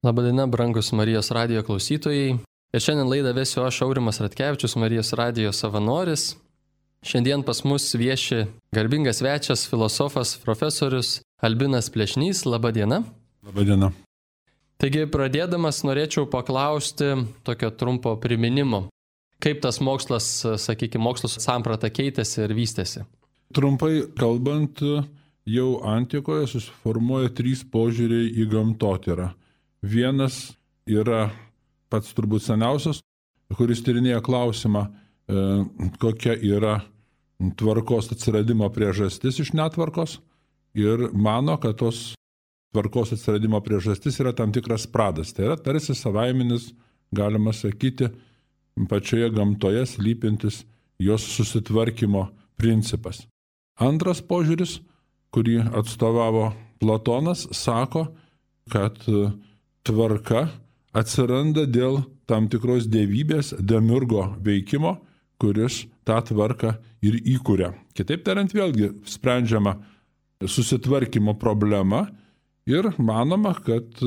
Labadiena, brangus Marijos radijo klausytojai. Ir šiandien laidą vesiu aš, Aurimas Ratkevičius, Marijos radijo savanoris. Šiandien pas mus vieši garbingas svečias, filosofas, profesorius Albinas Plečnys. Labadiena. Labadiena. Taigi, pradėdamas norėčiau paklausti tokio trumpo priminimo. Kaip tas mokslas, mokslo samprata keitėsi ir vystėsi? Trumpai kalbant, jau antikoje susiformuoja 3 požiūriai į gamtotyrą. Vienas yra pats turbūt seniausias, kuris tyrinėja klausimą, kokia yra tvarkos atsiradimo priežastis iš netvarkos ir mano, kad tos tvarkos atsiradimo priežastis yra tam tikras pradas. Tai yra tarsi savaiminis, galima sakyti, pačioje gamtoje slypintis jos susitvarkymo principas. Antras požiūris, kurį atstovavo Platonas, sako, kad tvarka atsiranda dėl tam tikros dievybės demiurgo veikimo, kuris tą tvarką ir įkuria. Kitaip tariant, vėlgi sprendžiama susitvarkymo problema ir manoma, kad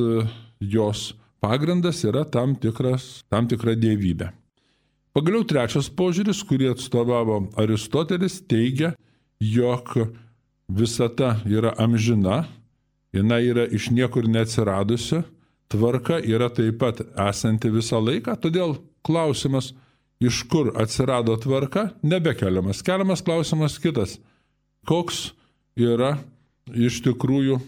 jos pagrindas yra tam tikra dievybė. Pagaliau trečias požiūris, kurį atstovavo Aristotelis, teigia, jog visata yra amžina, jinai yra iš niekur neatsiradusi, tvarka yra taip pat esanti visą laiką, todėl klausimas, iš kur atsirado tvarka, nebekeliamas. Keliamas klausimas kitas. Koks yra iš tikrųjų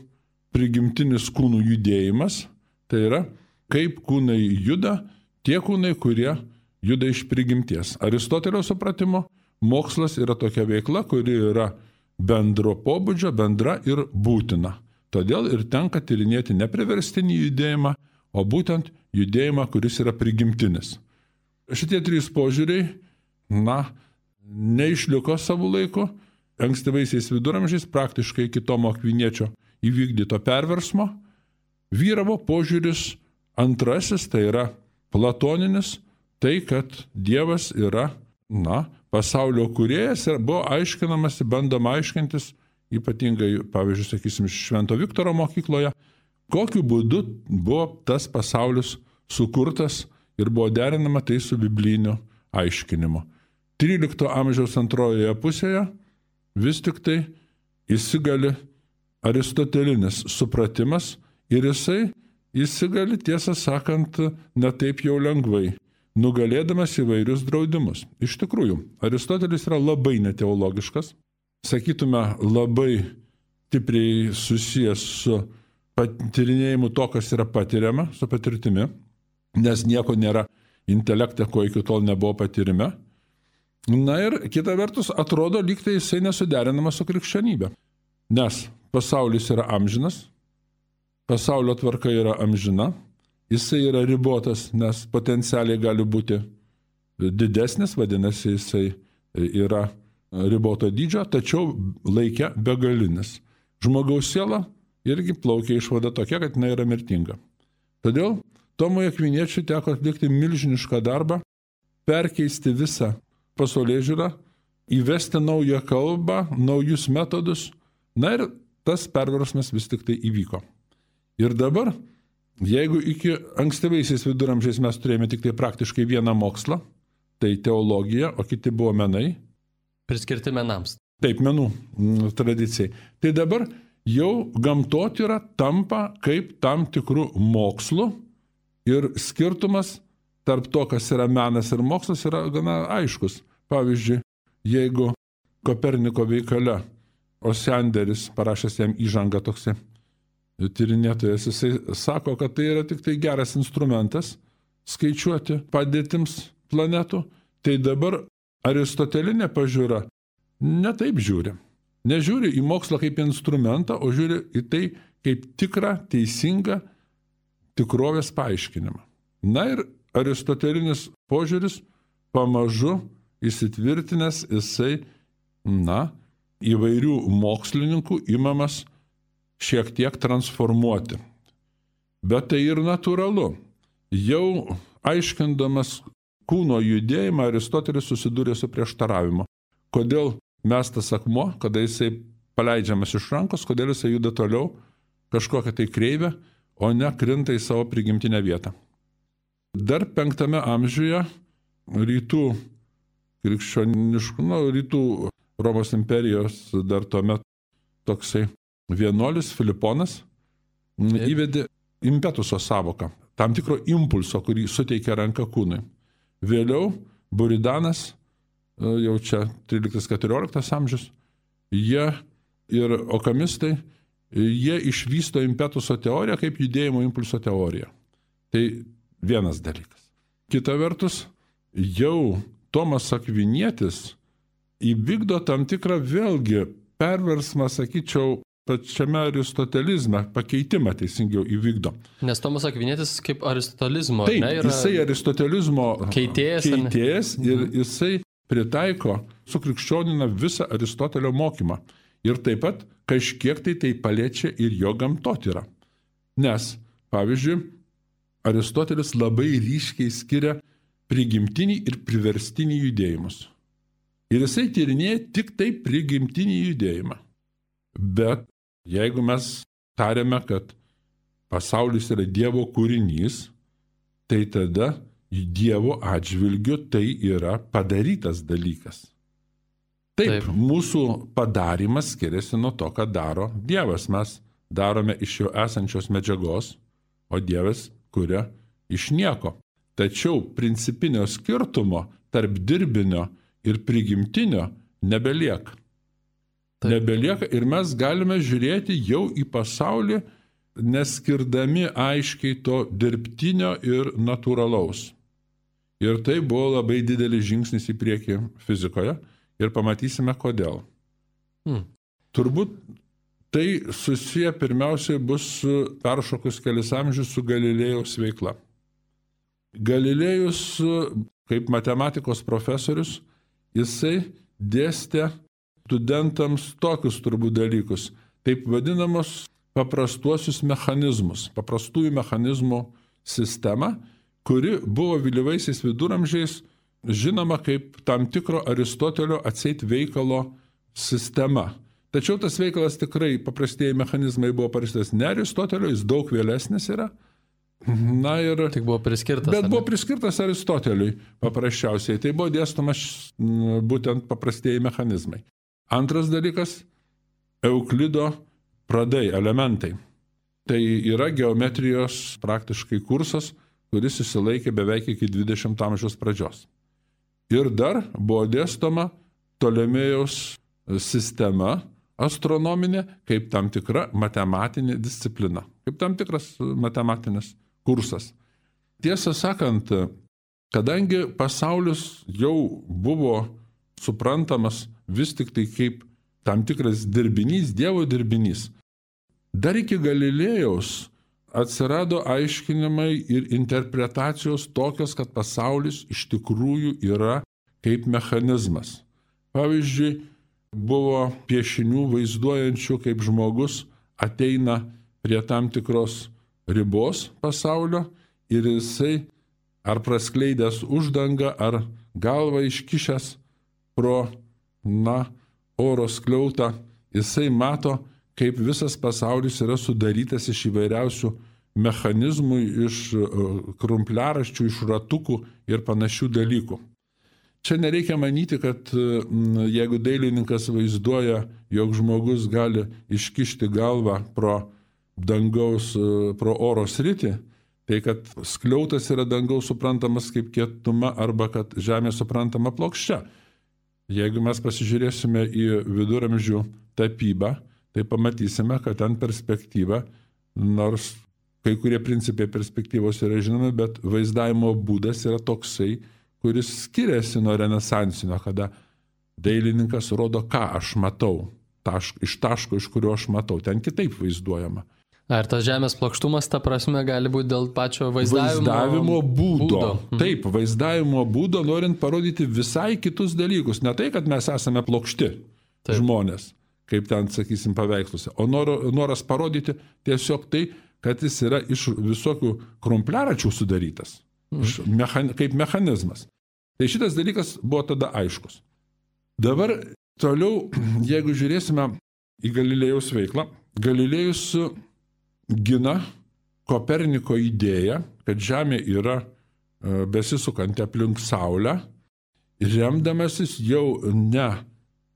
prigimtinis kūnų judėjimas, tai yra, kaip kūnai juda, tie kūnai, kurie juda iš prigimties. Aristotelio supratimo, mokslas yra tokia veikla, kuri yra bendro pobūdžio, bendra ir būtina. Todėl ir tenka tyrinėti ne priverstinį judėjimą, o būtent judėjimą, kuris yra prigimtinis. Šitie 3 požiūriai, neišliko savo laiku. Ankstyvaisiais viduramžiais, praktiškai iki Tomo Akviniečio įvykdyto perversmo, vyravo požiūris antrasis, tai yra platoninis, tai kad Dievas yra, pasaulio kūrėjas ir buvo aiškinamasi, bandoma aiškintis, ypatingai, pavyzdžiui, sakysim, Švento Viktoro mokykloje, kokiu būdu buvo tas pasaulis sukurtas ir buvo derinama tai su bibliniu aiškinimu. 13 amžiaus antrojoje pusėje vis tik tai įsigali aristotelinis supratimas ir jisai įsigali, tiesą sakant, ne taip jau lengvai, nugalėdamas įvairius draudimus. Iš tikrųjų, Aristotelis yra labai neteologiškas, sakytume, labai stipriai susijęs su patyrinėjimu to, kas yra patiriama, su patirtimi, nes nieko nėra intelekte, ko iki tol nebuvo patyrime. Ir kita vertus, atrodo, lyg tai jisai nesuderinamas su krikščionybė. Nes pasaulis yra amžinas, pasaulio tvarka yra amžina, jisai yra ribotas, nes potencialiai gali būti didesnis, vadinasi, jisai yra riboto dydžio, tačiau laike begalinis. Žmogaus siela irgi plaukia išvada tokia, kad jinai yra mirtinga. Todėl Tomui Akviniečiui teko atlikti milžinišką darbą, perkeisti visą pasaulėžiūrą, įvesti naują kalbą, naujus metodus, ir tas perversmas vis tik tai įvyko. Ir dabar, jeigu iki ankstyvaisiais viduramžiais mes turėjome tik tai praktiškai vieną mokslą, tai teologija, o kiti buvo menai, priskirti menams. Taip, menų tradicijai. Tai dabar jau gamtotyra tampa kaip tam tikrų mokslų ir skirtumas tarp to, kas yra menas ir mokslas, yra gana aiškus. Pavyzdžiui, jeigu Koperniko veikale Osianderis, parašęs jam įžangą toksai tyrinėtojas, jisai sako, kad tai yra tik tai geras instrumentas skaičiuoti padėtims planetų, tai dabar aristotelinė pažiūra netaip žiūri. Nežiūri į mokslą kaip instrumentą, o žiūri į tai kaip tikrą, teisingą tikrovės paaiškinimą. Ir aristotelinis požiūris pamažu įsitvirtinęs, jisai, įvairių mokslininkų imamas šiek tiek transformuoti. Bet tai ir natūralu. Jau aiškindamas kūno judėjimą, Aristotelis susidūrė su prieštaravimu. Kodėl mestas akmuo, kada jisai paleidžiamas iš rankos, kodėl jisai juda toliau kažkokią tai kreivę, o ne krinta į savo prigimtinę vietą. Dar 5 amžiuje rytų krikščioniškų, rytų Romos imperijos dar tuomet toksai vienuolis Filiponas įvedė impetuso sąvoką, tam tikro impulso, kurį suteikia ranka kūnui. Vėliau Buridanas, jau čia 13-14 amžius, jie ir okamistai, jie išvysto impetuso teoriją kaip judėjimo impulso teoriją. Tai vienas dalykas. Kita vertus, jau Tomas Akvinietis įvykdo tam tikrą vėlgi perversmą, sakyčiau, pačiame aristotelizme, pakeitimą teisingiau įvykdo. Nes Tomas Akvinietis kaip aristotelizmo, taip, ne, yra jisai aristotelizmo keitėjas ir jisai pritaiko, sukrikščionina visą Aristotelio mokymą. Ir taip pat kažkiek tai paliečia ir jo gamtotyrą. Nes, pavyzdžiui, Aristotelis labai ryškiai skiria prigimtinį ir priverstinį judėjimus. Ir jisai tyrinėja tik tai prigimtinį judėjimą. Bet jeigu mes tariame, kad pasaulis yra Dievo kūrinys, tai tada Dievo atžvilgiu tai yra padarytas dalykas. Taip, mūsų padarimas skiriasi nuo to, ką daro Dievas. Mes darome iš jo esančios medžiagos, o Dievas kuria iš nieko. Tačiau principinio skirtumo tarp dirbinio ir prigimtinio nebelieka. Nebelieka ir mes galime žiūrėti jau į pasaulį, neskirdami aiškiai to dirbtinio ir natūralaus. Ir tai buvo labai didelis žingsnis į priekį fizikoje ir pamatysime kodėl. Turbūt tai susiję pirmiausiai bus peršokus kelis amžius su Galilėjaus veikla. Galilėjus, kaip matematikos profesorius, jisai dėstė studentams tokius turbūt dalykus, taip vadinamos paprastuosius mechanizmus, paprastųjų mechanizmų sistemą, kuri buvo vėlyvaisiais viduramžiais žinoma kaip tam tikro Aristotelio atseit veikalo sistema. Tačiau tas veikalas tikrai, paprastieji mechanizmai buvo parašytas ne Aristotelio, jis daug vėlesnis yra. Na ir tik buvo priskirtas. Bet buvo priskirtas Aristoteliui paprasčiausiai. Tai buvo dėstomas būtent paprastieji mechanizmai. Antras dalykas – Euklido pradai, elementai. Tai yra geometrijos praktiškai kursas, kuris išsilaikė beveik iki 20 amžiaus pradžios. Ir dar buvo dėstoma Ptolemėjaus sistema astronominė kaip tam tikra matematinė disciplina, kaip tam tikras matematinis kursas. Tiesą sakant, kadangi pasaulis jau buvo suprantamas vis tik tai kaip tam tikras dirbinys, Dievo dirbinys, dar iki Galilėjaus atsirado aiškinimai ir interpretacijos tokios, kad pasaulis iš tikrųjų yra kaip mechanizmas. Pavyzdžiui, buvo piešinių vaizduojančių, kaip žmogus ateina prie tam tikros ribos pasaulio ir jisai ar praskleidęs uždangą, ar galvą iškišęs pro, oro skliautą, jisai mato, kaip visas pasaulis yra sudarytas iš įvairiausių mechanizmų, iš krumpliaraščių, iš ratukų ir panašių dalykų. Čia nereikia manyti, kad jeigu dailininkas vaizduoja, jog žmogus gali iškišti galvą pro dangaus, pro oro sritį, tai kad skliautas yra dangaus suprantamas kaip kietuma arba kad žemė suprantama plokščia. Jeigu mes pasižiūrėsime į viduramžių tapybą, tai pamatysime, kad ten perspektyva, nors kai kurie principai perspektyvos yra žinomi, bet vaizdavimo būdas yra toksai, kuris skiriasi nuo renesansinio, kada dailininkas rodo, ką aš matau, iš taško, iš kurio aš matau, ten kitaip vaizduojama. Ar tas žemės plokštumas, ta prasme, gali būti dėl pačio vaizdavimo būdo. Taip, vaizdavimo būdo, norint parodyti visai kitus dalykus. Ne tai, kad mes esame plokšti žmonės, kaip ten, sakysim, paveiksluose, o noras parodyti tiesiog tai, kad jis yra iš visokių krumpliaračių sudarytas, kaip mechanizmas. Tai šitas dalykas buvo tada aiškus. Dabar toliau, jeigu žiūrėsime į Galilėjaus veiklą, Galilėjus gina Koperniko idėja, kad Žemė yra besisukanti aplink Saulę, remdamasis jau ne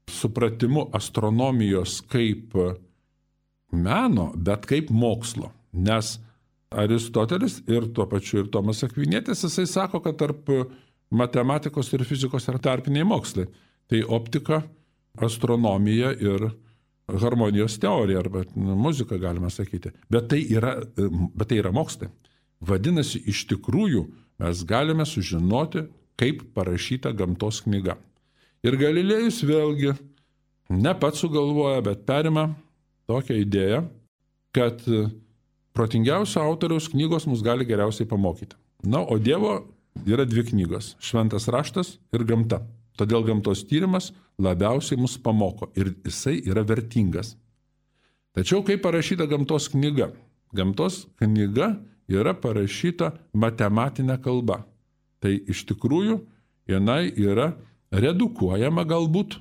supratimu astronomijos kaip meno, bet kaip mokslo. Nes Aristotelis ir tuo pačiu ir Tomas Akvinietis, jisai sako, kad tarp matematikos ir fizikos yra tarpiniai mokslai. Tai optika, astronomija ir harmonijos teorija, arba muzika galima sakyti. Bet tai yra mokslai. Vadinasi, iš tikrųjų mes galime sužinoti, kaip parašyta gamtos knyga. Ir Galilėjus vėlgi ne pats sugalvoja, bet perima tokią idėją, kad protingiausio autoriaus knygos mus gali geriausiai pamokyti. Na, o Dievo yra dvi knygos – Šventas raštas ir gamta. Todėl gamtos tyrimas labiausiai mus pamoko ir jisai yra vertingas. Tačiau kaip parašyta gamtos knyga? Gamtos knyga yra parašyta matematinė kalba. Tai iš tikrųjų jinai yra redukuojama galbūt,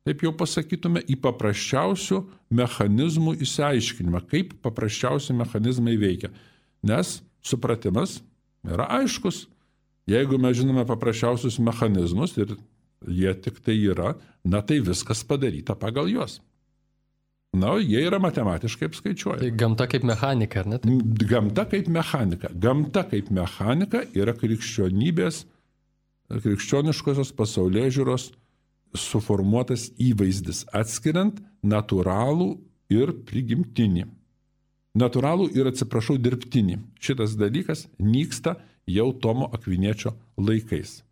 taip jau pasakytume, į paprasčiausių mechanizmų išsiaiškinimą, kaip paprasčiausi mechanizmai veikia. Nes supratimas yra aiškus. Jeigu mes žinome paprasčiausius mechanizmus ir jie tik tai yra, na tai viskas padaryta pagal juos. Na, jie yra matematiškai apskaičiuojami. Tai gamta kaip mechanika, ar ne? Taip? Gamta kaip mechanika. Gamta kaip mechanika yra krikščioniškosios pasaulėžiūros suformuotas įvaizdis, atskiriant natūralų ir prigimtinį. Natūralų ir, dirbtinį. Šitas dalykas nyksta jau Tomo Akviniečio laikais.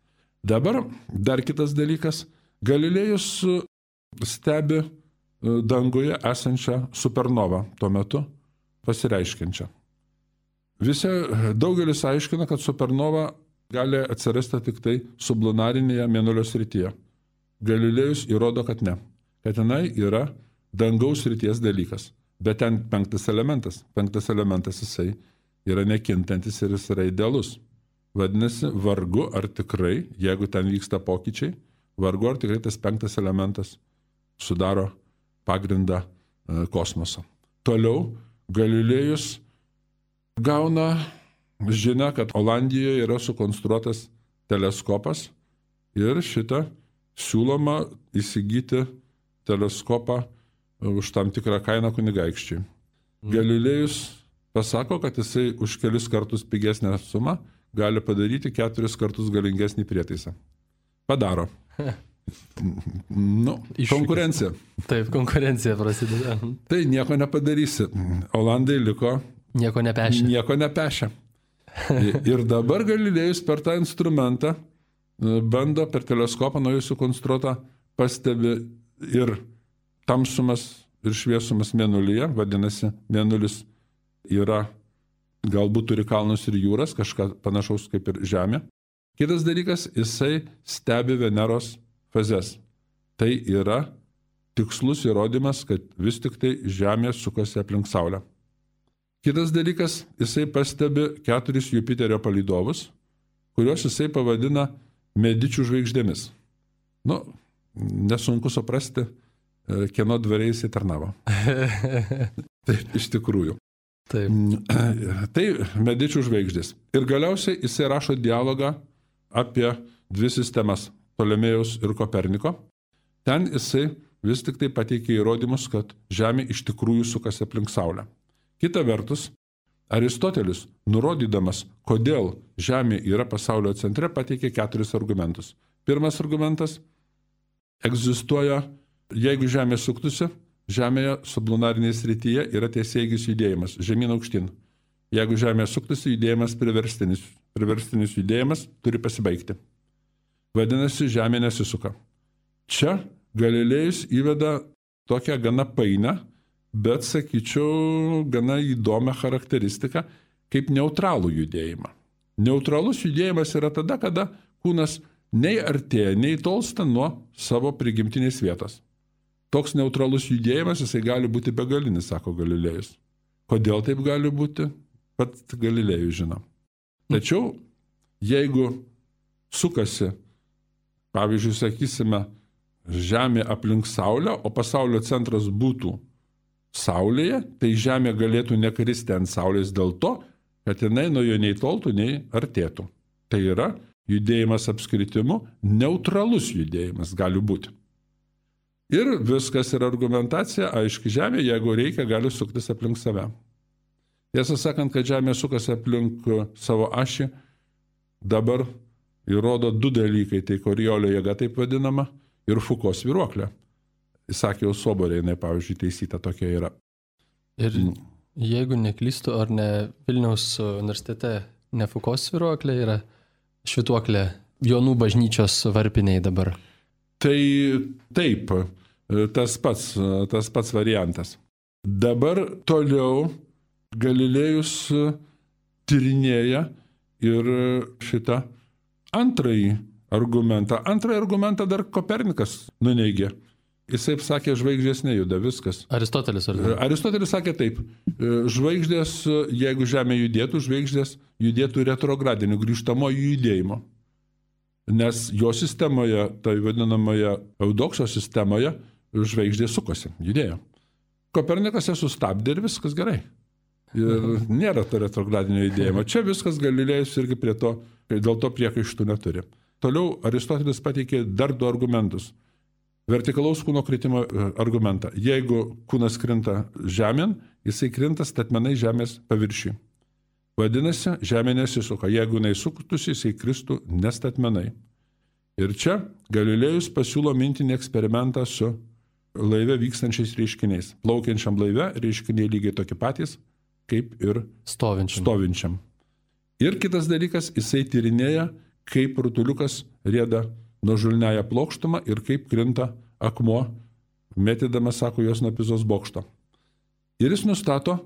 Dabar dar kitas dalykas. Galilėjus stebi danguje esančią supernovą tuo metu pasireiškiančią. Daugelis aiškina, kad supernova gali atsirasti tik tai sublunarinėje Mėnulio srityje. Galilėjus įrodo, kad ne. Kad tenai yra dangaus srities dalykas. Bet ten penktas elementas. Penktas elementas jisai yra nekintantis ir jis yra idealus. Vadinasi, vargu ar tikrai, jeigu ten vyksta pokyčiai, vargu ar tikrai tas penktas elementas sudaro pagrindą kosmoso. Toliau Galilėjus gauna žinią, kad Olandijoje yra sukonstruotas teleskopas ir šitą siūloma įsigyti teleskopą už tam tikrą kainą kunigaikščiai. Galilėjus pasako, kad jisai už kelis kartus pigesnę sumą gali padaryti 4 kartus galingesnį prietaisą. Padaro. Konkurencija. Taip, konkurencija prasideda. Tai nieko nepadarysi. Olandai liko nieko nepešia. Ir dabar Galilėjus per tą instrumentą bando per teleskopą naujai sukonstruotą pastebi ir tamsumas ir šviesumas Mėnulyje, vadinasi, Mėnulis yra, galbūt turi kalnus ir jūras, kažką panašaus kaip ir Žemė. Kitas dalykas, jisai stebi Veneros fazes. Tai yra tikslus įrodymas, kad vis tik tai Žemė sukasi aplink Saulę. Kitas dalykas, jisai pastebi 4 Jupiterio palydovus, kuriuos jisai pavadina Medičių žvaigždėmis. Nesunku suprasti, kieno dvariai jisai tarnavo. Taip, iš tikrųjų. Taip. Tai Medičių žvaigždės. Ir galiausiai jisai rašo dialogą apie 2 sistemas – Ptolemėjaus ir Koperniko. Ten jisai vis tik tai pateikė įrodymus, kad Žemė iš tikrųjų sukasi aplink Saulę. Kita vertus, Aristotelis, nurodydamas, kodėl Žemė yra pasaulio centre, pateikė 4 argumentus. Pirmas argumentas – egzistuoja, jeigu Žemė suktųsi, Žemėje sublunarinėje srityje yra tiesiaigis judėjimas, žemyn aukštyn. Jeigu Žemė suktųsi, judėjimas priverstinis judėjimas turi pasibaigti. Vadinasi, Žemė nesisuka. Čia Galilėjus įveda tokią gana painę, bet, sakyčiau, gana įdomią charakteristiką kaip neutralų judėjimą. Neutralus judėjimas yra tada, kada kūnas nei artėja, nei tolsta nuo savo prigimtinės vietos. Toks neutralus judėjimas, jisai gali būti begalinis, sako Galilėjus. Kodėl taip gali būti? Pats Galilėjus žino. Tačiau, jeigu sukasi, pavyzdžiui, sakysime, Žemė aplink Saulę, o pasaulio centras būtų Saulėje, tai Žemė galėtų nekristi ant Saulės dėl to, kad jinai nuo jo nei toltų, nei artėtų. Tai yra judėjimas apskritimu, neutralus judėjimas gali būti. Ir viskas yra argumentacija, aiški, Žemė, jeigu reikia, gali suktis aplink save. Tiesą sakant, kad Žemė sukasi aplink savo ašį, dabar įrodo du dalykai, tai Koriolio jėga taip vadinama ir Foucault svyruoklė. Įsakiau Soborė, jinai, pavyzdžiui, teisyta tokia yra. Ir jeigu neklystu, ar ne Vilniaus universitete ne Foucault svyruoklė yra švytuoklė Jonų bažnyčios varpiniai dabar? Tai taip, tas pats variantas. Dabar toliau Galilėjus tyrinėja ir šitą antrąjį argumentą. Antrąjį argumentą dar Kopernikas nuneigė. Jisai sakė, žvaigždės nejuda, viskas. Aristotelis ar ne? Aristotelis sakė taip, žvaigždės, jeigu Žemė judėtų, žvaigždės judėtų retrogradiniu, grįžtamoju judėjimu. Nes jo sistemoje, tai vadinamoje Eudokso sistemoje, žvaigždės sukosi, judėjo. Kopernikas ją sustabdė ir viskas gerai. Ir nėra to retrogradinio judėjimo. Čia viskas Galilėjus irgi prie to, dėl to priekaištų neturi. Toliau Aristotelis pateikė dar du argumentus. Vertikalaus kūno kritimo argumentą. Jeigu kūnas krinta žemėn, jisai krinta statmenai žemės paviršiui. Vadinasi, žemė nesisuka. Jeigu jinai suktųsi, jisai kristų nestatmenai. Ir čia Galilėjus pasiūlo mintinį eksperimentą su laive vykstančiais reiškiniais. Plaukiančiam laive reiškiniai lygiai tokie patys, kaip ir stovinčiam. Ir kitas dalykas, jisai tyrinėja, kaip rutuliukas rieda nuožulniąją plokštumą ir kaip krinta akmuo, mėtydamas, sako, jos nuo Pizos bokšto. Ir jis nustato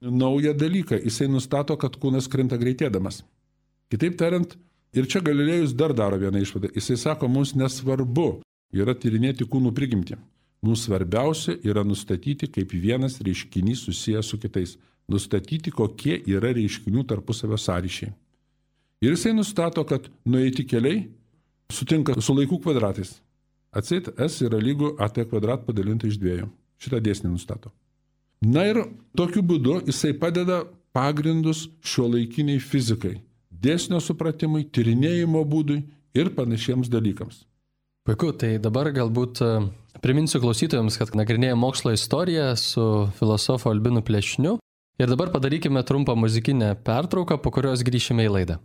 naują dalyką. Jisai nustato, kad kūnas krinta greitėdamas. Kitaip tariant, ir čia Galilėjus dar daro vieną išvadą. Jisai sako, mums nesvarbu yra tyrinėti kūnų prigimtį. Mums svarbiausia yra nustatyti, kaip vienas reiškinys susijęs su kitais. Nustatyti, kokie yra reiškinių tarpusavio sąryšiai. Ir jisai nustato, kad nueiti keliai sutinka su laikų kvadratais. Atseit S yra lygu AT kvadrat padalinta iš 2. Šitą dėsnį nustato. Na ir tokiu būdu jisai padeda pagrindus šiuolaikiniai fizikai, dėsnio supratimui, tyrinėjimo būdui ir panašiems dalykams. Puiku, tai dabar galbūt priminsiu klausytojams, kad nagrinėjame mokslo istoriją su filosofu Albinu Plešniu. Ir dabar padarykime trumpą muzikinę pertrauką, po kurios grįšime į laidą.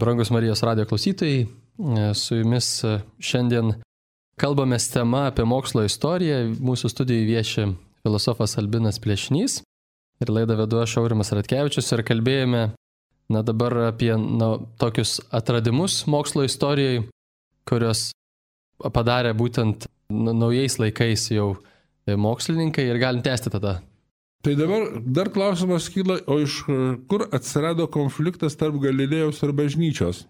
Brangus Marijos radijo klausytojai, su jumis šiandien kalbamės tema apie mokslo istoriją. Mūsų studijoje vieši filosofas Albinas Plėšnys ir laidą vedu aš Aurimas Ratkevičius ir kalbėjome dabar apie tokius atradimus mokslo istorijoje, kurios padarė būtent naujais laikais jau mokslininkai ir galim tęsti tada. Tai dabar dar klausimas kyla, o iš kur atsirado konfliktas tarp Galilėjaus ir bažnyčios?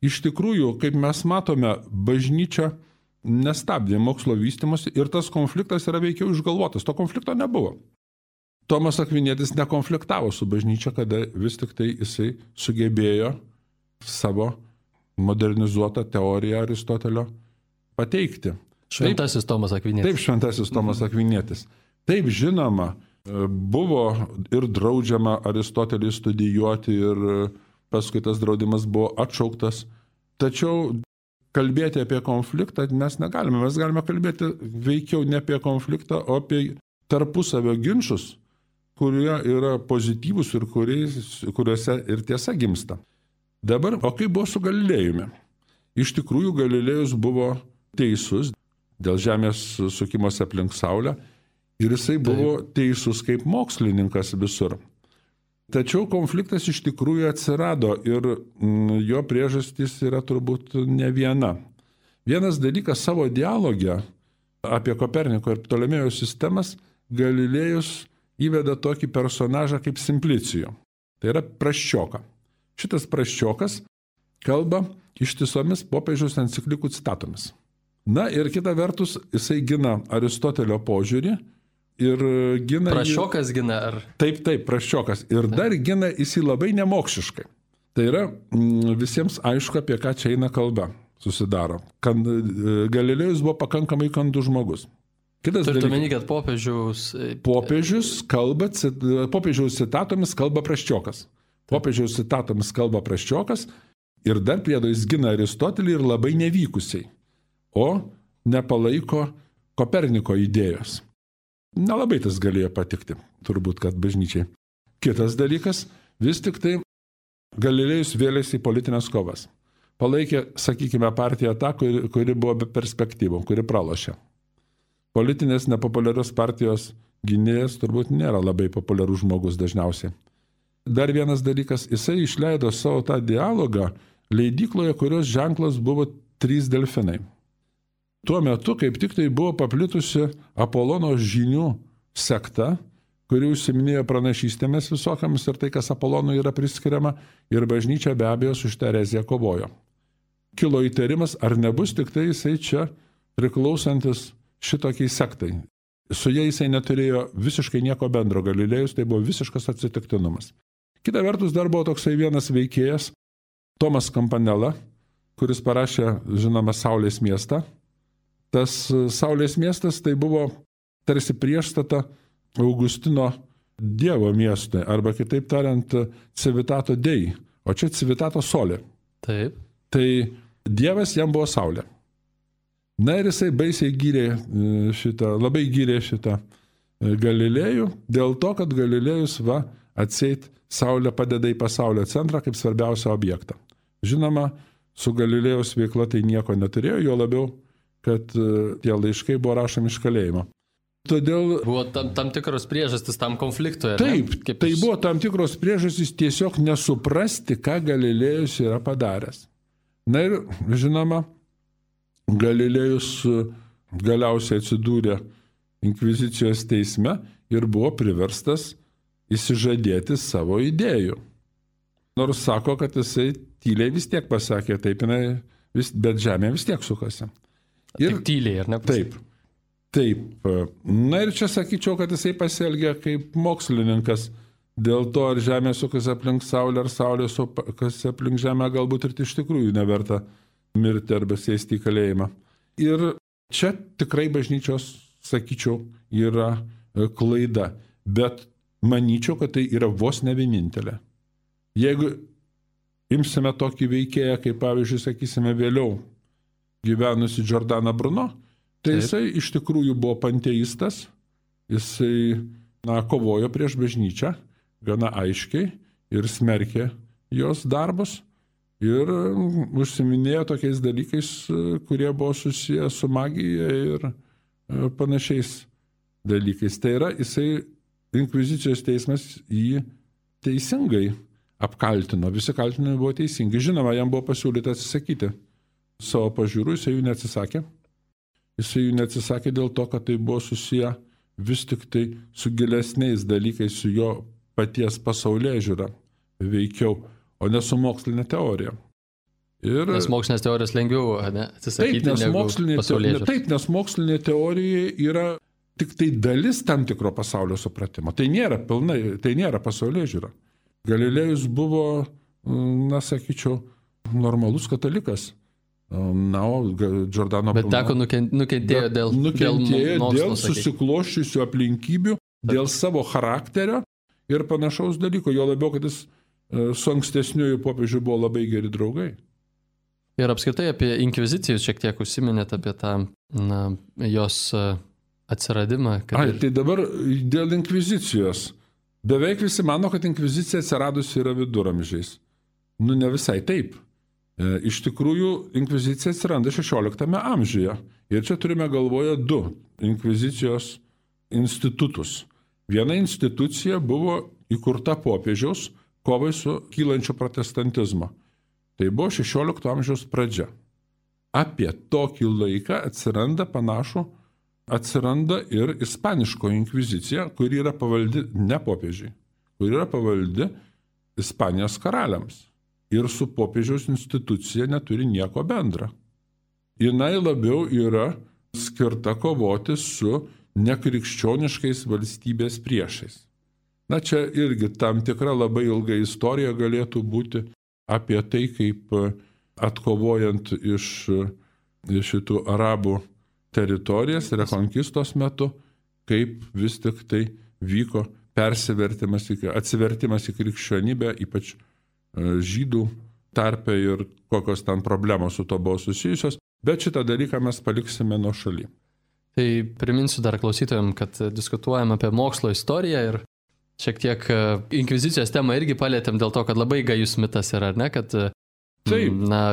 Iš tikrųjų, kaip mes matome, bažnyčia nestabdė mokslo vystymosi ir tas konfliktas yra veikiau išgalvotas. To konflikto nebuvo. Tomas Akvinietis nekonfliktavo su bažnyčia, kada vis tik tai jisai sugebėjo savo modernizuotą teoriją Aristotelio pateikti. Šventasis Tomas Akvinietis. Taip, šventasis Tomas Akvinietis. Taip, žinoma, buvo ir draudžiama Aristotelį studijuoti ir paskui tas draudimas buvo atšauktas. Tačiau kalbėti apie konfliktą mes negalime. Mes galime kalbėti veikiau ne apie konfliktą, o apie tarpusavio ginčus, kurie yra pozityvūs ir kuriuose ir tiesa gimsta. Dabar, o kaip buvo su Galilėjumi? Iš tikrųjų, Galilėjus buvo teisus dėl Žemės sukimosi aplink Saulę. Ir jisai buvo teisus kaip mokslininkas visur. Tačiau konfliktas iš tikrųjų atsirado ir jo priežastys yra turbūt ne viena. Vienas dalykas savo dialogę apie Koperniko ir Ptolemėjo sistemas Galilėjus įveda tokį personažą kaip Simplicijų. Tai yra Prasčioką. Šitas Prasčiokas kalba ištisomis popiežiaus enciklikų citatomis. Na ir kita vertus jisai gina Aristotelio požiūrį. Ir gina Prasčiokas gina, ar? Taip, Prasčiokas. Ir dar gina jisai labai nemokšiškai. Tai yra visiems aišku, apie ką čia eina kalba susidaro. Galilėjus buvo pakankamai kandus žmogus. Turite omeny, kad popiežiaus citatomis kalba Prasčiokas. Popiežiaus citatomis kalba Prasčiokas ir dar priedo jis gina Aristotelį ir labai nevykusiai, o nepalaiko Koperniko idėjos. Nelabai tas galėjo patikti, turbūt, kad bažnyčiai. Kitas dalykas, vis tik tai Galilėjus vėlėsi į politinės kovas. Palaikė, sakykime, partiją tą, kuri buvo be perspektyvų, kuri pralošė. Politinės nepopuliarios partijos gynėjas turbūt nėra labai populiarus žmogus dažniausiai. Dar vienas dalykas, jisai išleido savo tą dialogą leidykloje, kurios ženklas buvo 3 delfinai. Tuo metu, kaip tik tai buvo paplitusi Apolono žinių sekta, kuri užsiminėjo pranašystėmis visokiamis ir tai, kas Apolonui yra priskiriama, ir bažnyčia be abejo su šitą ereziją kovojo. Kilo įtarimas, ar nebus tik tai jisai čia priklausantis šitokiai sektai. Su jais jisai neturėjo visiškai nieko bendro. Galilėjus tai buvo visiškas atsitiktinumas. Kita vertus dar buvo toksai vienas veikėjas, Tomas Campanella, kuris parašė, žinoma, Saulės miestą. Tas Saulės miestas tai buvo tarsi priešstata Augustino Dievo miestui, arba kitaip tariant Civitato Dei, o čia Civitato Sole. Taip. Tai Dievas jam buvo Saulė. Na ir jisai baisiai labai gyrė šitą Galilėjų, dėl to, kad Galilėjus atseit Saulė padeda į pasaulio centrą kaip svarbiausią objektą. Žinoma, su Galilėjaus veikla tai nieko neturėjo, jo labiau kad tie laiškai buvo rašomi iš kalėjimo. Todėl buvo tam tikros priežastys tam konfliktui. Taip, tai buvo tam tikros priežastys tiesiog nesuprasti, ką Galilėjus yra padaręs. Na ir, žinoma, Galilėjus galiausiai atsidūrė inkvizicijos teisme ir buvo priverstas išsižadėti savo idėjų. Nors sako, kad jisai tyliai vis tiek pasakė, taip, bet žemė vis tiek sukasi. Ir tyliai, ar ne? Taip. Na ir čia sakyčiau, kad jisai pasielgė kaip mokslininkas. Dėl to, ar Žemė sukasi aplink Saulę, ar Saulė sukasi aplink Žemę, galbūt ir iš tikrųjų neverta mirti arba sėsti į kalėjimą. Ir čia tikrai bažnyčios, sakyčiau, yra klaida. Bet manyčiau, kad tai yra vos ne vienintelė. Jeigu imsime tokį veikėją, kaip pavyzdžiui, sakysime, vėliau gyvenusi Giordano Bruno, tai jisai iš tikrųjų buvo panteistas, jisai kovojo prieš bažnyčią gana aiškiai ir smerkė jos darbus. ir užsiminėjo tokiais dalykais, kurie buvo susiję su magija ir panašiais dalykais. Tai yra, inkvizicijos teismas jį teisingai apkaltino, visi kaltinimai buvo teisingi. Žinoma, jam buvo pasiūlyta atsisakyti savo pažiūrų, jisai jų neatsisakė. Jisai jų neatsisakė dėl to, kad tai buvo susiję vis tik tai su gilesniais dalykais, su jo paties pasaulėžiūra veikiau, o ne su mokslinė teorija. Nes mokslinės teorijos lengviau atsisakyti negu pasaulėžiūros. Taip, nes mokslinė teorija yra tik tai dalis tam tikro pasaulio supratimo. Tai nėra pilnai, tai nėra pasaulėžiūra. Galilėjus buvo, sakyčiau, normalus katalikas. O Giordano Bet teko nukentėjo dėl susikloščiusių aplinkybių, dėl savo charakterio ir panašaus dalyko. Jo labiau, kad jis su ankstesniuoju popiežiu buvo labai geri draugai. Ir apskritai apie inkvizicijus šiek tiek užsiminėt apie tą jos atsiradimą. Tai dabar dėl inkvizicijos. Beveik visi mano, kad inkvizicija atsiradusi yra viduramžiais. Ne visai taip. Iš tikrųjų, inkvizicija atsiranda 16 amžiuje. Ir čia turime galvoje du inkvizicijos institutus. Viena institucija buvo įkurta popiežiaus kovai su kylančiu protestantizmu. Tai buvo 16 amžiaus pradžia. Apie tokį laiką atsiranda ir ispaniško inkvizicija, kuri yra pavaldi ne popiežiai, kuri yra pavaldi Ispanijos karaliams. Ir su popiežiaus institucija neturi nieko bendra. Jinai labiau yra skirta kovoti su nekrikščioniškais valstybės priešais. Čia irgi tam tikra labai ilga istorija galėtų būti apie tai, kaip atkovojant iš šitų arabų teritorijas rekonkistos metu, kaip vis tik tai vyko atsivertimas į krikščionybę, ypač žydų tarpe ir kokios ten problemos su to buvo susijusios, bet šitą dalyką mes paliksime nuo šaly. Tai priminsiu dar klausytojams, kad diskutuojam apie mokslo istoriją ir šiek tiek inkvizicijos temą irgi palėtėm dėl to, kad labai gajus mitas yra, ar ne, kad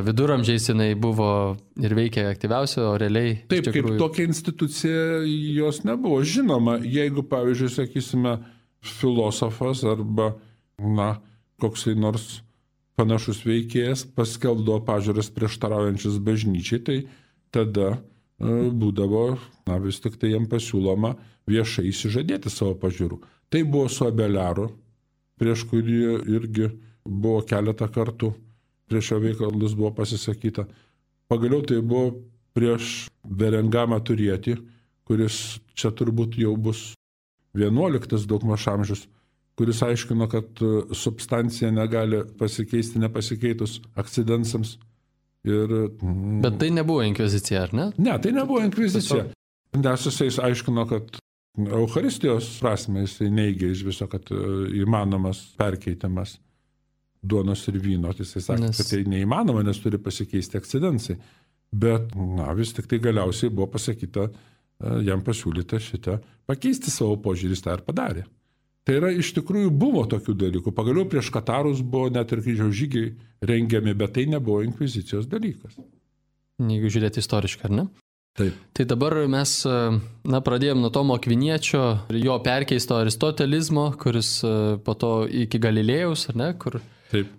viduramžiais jinai buvo ir veikė aktyviausia, o realiai... Taip, kaip tokia institucija jos nebuvo. Žinoma, jeigu, pavyzdžiui, sakysime, filosofas arba, koksai nors panašus veikėjas paskelbdavo pažiūras prieštaraujančius bažnyčiai, tai tada būdavo, vis tik tai jam pasiūloma viešai išsižadėti savo pažiūrų. Tai buvo su Abeliaru, prieš kurį irgi buvo keletą kartų prieš jo veikalus buvo pasisakyta. Pagaliau tai buvo prieš Berengamą Turietį, kuris čia turbūt jau bus 11 daugmaž amžius, kuris aiškino, kad substancija negali pasikeisti nepasikeitus akcidensams. Bet tai nebuvo inkvizicija, ar ne? Ne, tai nebuvo inkvizicija. Nes jisai aiškino, kad Eucharistijos prasme jisai neigia iš viso, kad įmanomas perkeitimas duonos ir vyno. Jisai sakė, kad tai neįmanoma, nes turi pasikeisti akcidensai. Bet vis tik tai galiausiai buvo pasakyta, jam pasiūlyta šitą pakeisti savo požiūrį, tą ir padarė. Tai yra, iš tikrųjų buvo tokių dalykų. Pagaliau prieš katarus buvo net ir kryžiaus žygiai rengiami, bet tai nebuvo inkvizicijos dalykas. Jeigu žiūrėti istoriškai, ar ne? Taip. Tai dabar mes pradėjom nuo Tomo Akviniečio ir jo perkeisto aristotelizmo, kuris po to iki Galilėjaus, ar ne? Kur taip.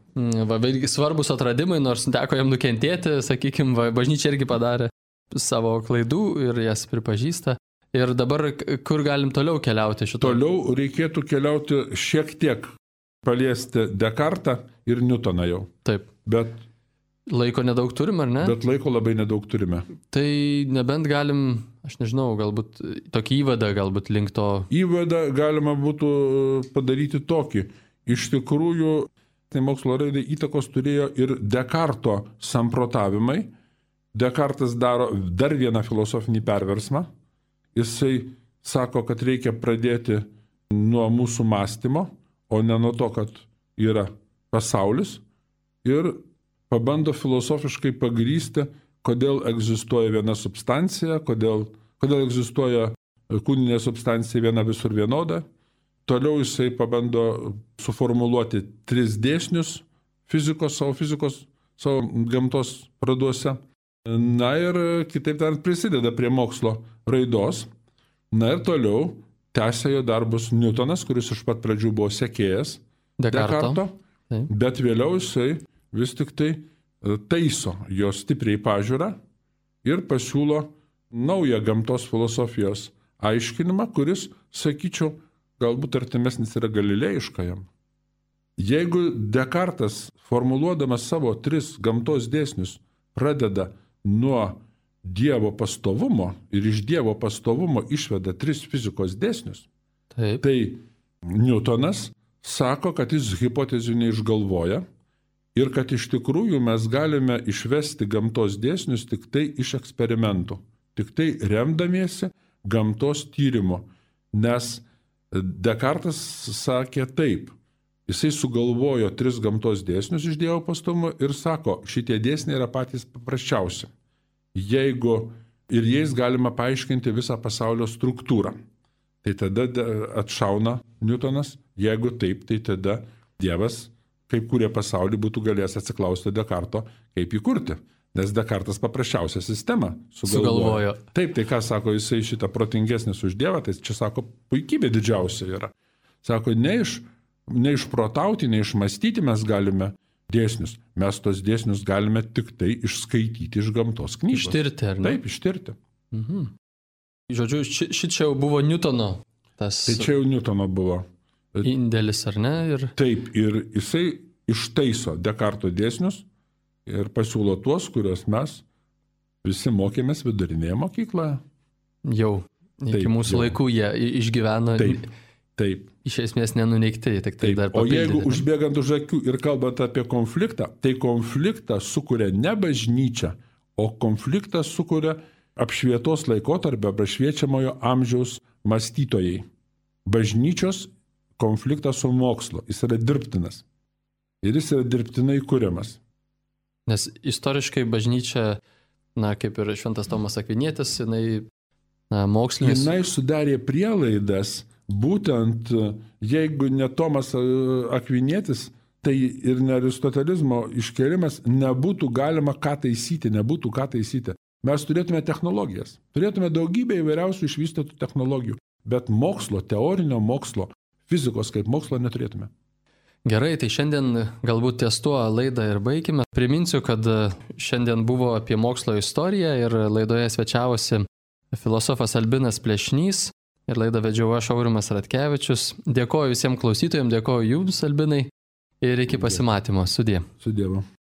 Svarbus atradimai, nors teko jam nukentėti, sakykime, bažnyčia irgi padarė savo klaidų ir jas pripažįsta. Ir dabar kur galim toliau keliauti šito? Toliau reikėtų keliauti šiek tiek, paliesti Descartą ir Newtoną jau. Taip. Bet laiko nedaug turim, ar ne? Bet laiko labai nedaug turime. Tai nebent galim, aš nežinau, galbūt tokį įvadą, galbūt link to. Įvadą galima būtų padaryti tokį. Iš tikrųjų, tai mokslo raidai įtakos turėjo ir Descarto samprotavimai. Descartas daro dar vieną filosofinį perversmą. Jisai sako, kad reikia pradėti nuo mūsų mąstymo, o ne nuo to, kad yra pasaulis. Ir pabando filosofiškai pagrįsti, kodėl egzistuoja viena substancija, kodėl egzistuoja kūninė substancija viena visur vienoda. Toliau jisai pabando suformuluoti 3 dėsnius fizikos, savo fizikos savo gamtos praduose. Na ir kitaip tariant prisideda prie mokslo raidos. Na ir toliau tęsia jo darbus Newtonas, kuris iš pat pradžių buvo sekėjas Dekarto, bet vėliau jisai vis tik tai taiso jo stipriai pažiūrą ir pasiūlo naują gamtos filosofijos aiškinimą, kuris, sakyčiau, galbūt artimesnis yra galilėjiškajam. Jeigu Dekartas, formuluodamas savo 3 gamtos dėsnius, pradeda nuo Dievo pastovumo ir iš Dievo pastovumo išveda 3 fizikos dėsnius, tai Newtonas sako, kad jis hipotezių neišgalvoja ir kad iš tikrųjų mes galime išvesti gamtos dėsnius tik tai iš eksperimentų, tik tai remdamiesi gamtos tyrimo, nes Dekartas sakė taip, jisai sugalvojo 3 gamtos dėsnius iš Dievo pastovumo ir sako, šitie dėsniai yra patys paprasčiausi. Jeigu ir jais galima paaiškinti visą pasaulio struktūrą, tai tada atšauna Newtonas, jeigu taip, tai tada Dievas, kaip kūrė pasaulį, būtų galėjęs atsiklausti Dekarto, kaip įkurti, nes Dekartas paprasčiausią sistemą sugalvojo. Taip, tai ką sako, jisai šitą protingesnis už Dievą, tai čia sako, puikybė didžiausia yra. Sako, neišprotauti, neišmastyti mes galime dėsnius. Mes tos dėsnius galime tik tai išskaityti iš gamtos knygos. Ištirti, ar ne? Taip, ištirti. Žodžiu, šičia jau buvo Newtono tas... Tai čia jau Newtono buvo. Indėlis, ar ne? Taip, ir jisai ištaiso Dekarto dėsnius ir pasiūlo tuos, kuriuos mes visi mokėmės vidurinėje mokykloje. Jau, iki mūsų laikų jie išgyveno. Taip. Iš esmės nenuneigti, tik tai dar papildyti. O jeigu ne? Užbėgant už akių ir kalbant apie konfliktą, tai konfliktą sukuria ne bažnyčia, o konfliktą sukuria apšvietos laikotarpio, apšviečiamojo amžiaus mąstytojai. Bažnyčios konfliktas su mokslu, jis yra dirbtinas. Ir jis yra dirbtinai kuriamas. Nes istoriškai bažnyčia, kaip ir Šventas Tomas Akvinietis, mokslinis... Jinai sudarė prielaidas. Būtent, jeigu ne Tomas Akvinietis, tai ir ne aristotelizmo iškėlimas, nebūtų galima ką taisyti. Mes turėtume technologijas, turėtume daugybę įvairiausių išvystytų technologijų, bet mokslo, teorinio mokslo, fizikos kaip mokslo neturėtume. Gerai, tai šiandien galbūt ties tuo laidą ir baigime. Priminsiu, kad šiandien buvo apie mokslo istoriją ir laidoje svečiavosi filosofas Albinas Plešnys. Ir laidą vedžiau aš, Aurimas Ratkevičius. Dėkoju visiems klausytojams, dėkoju jums, Albinai, ir iki pasimatymo. Sudie. Sudievu.